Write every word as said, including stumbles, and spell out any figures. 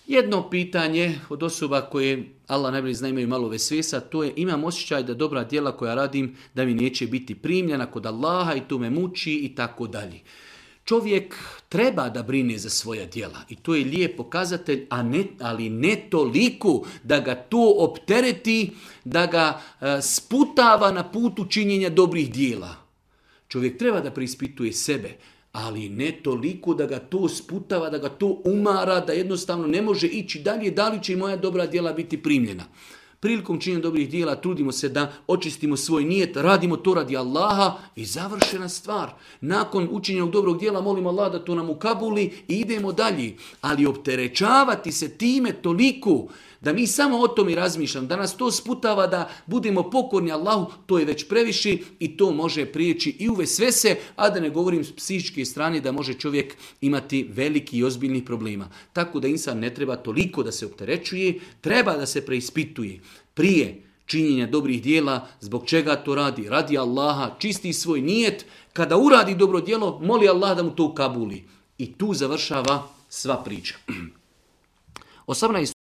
Jedno pitanje od osoba koje Allah najbolje zna imaju malo vesvesa, to je imam osjećaj da dobra djela koja radim da mi neće biti primljena kod Allaha i to me muči i tako dalje. Čovjek treba da brine za svoja djela i to je lijep pokazatelj, a ne, ali ne toliko da ga to optereti, da ga e, sputava na putu činjenja dobrih djela. Čovjek treba da preispituje sebe, ali ne toliko da ga to sputava, da ga to umara, da jednostavno ne može ići dalje, da li će i moja dobra djela biti primljena. Prilikom činjenja dobrih djela trudimo se da očistimo svoj nijet, radimo to radi Allaha i završena stvar. Nakon učinjenog dobrog djela molimo Allah da to nam ukabuli i idemo dalje. Ali opterećavati se time toliko da mi samo o tome razmišljamo, da nas to sputava da budemo pokorni Allahu, to je već previše i to može prijeći i u vesvese, a da ne govorim s psihičke strane da može čovjek imati veliki i ozbiljnih problema. Tako da insan ne treba toliko da se opterećuje, treba da se preispituje prije činjenja dobrih djela, zbog čega to radi, radi Allaha, čisti svoj nijet, kada uradi dobro djelo, moli Allah da mu to ukabuli. I tu završava sva priča. osamnaest